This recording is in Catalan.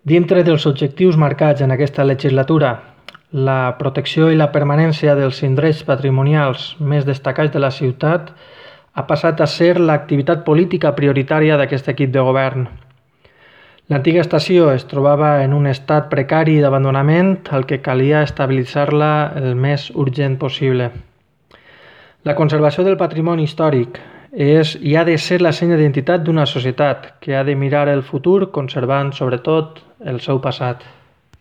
Dintre dels objectius marcats en aquesta legislatura, la protecció i la permanència dels indrets patrimonials més destacats de la ciutat ha passat a ser l'activitat política prioritària d'aquest equip de govern. L'antiga estació es trobava en un estat precari d'abandonament al que calia estabilitzar-la el més urgent possible. La conservació del patrimoni històric és i ha de ser la senya d'identitat d'una societat que ha de mirar el futur conservant sobretot el seu passat.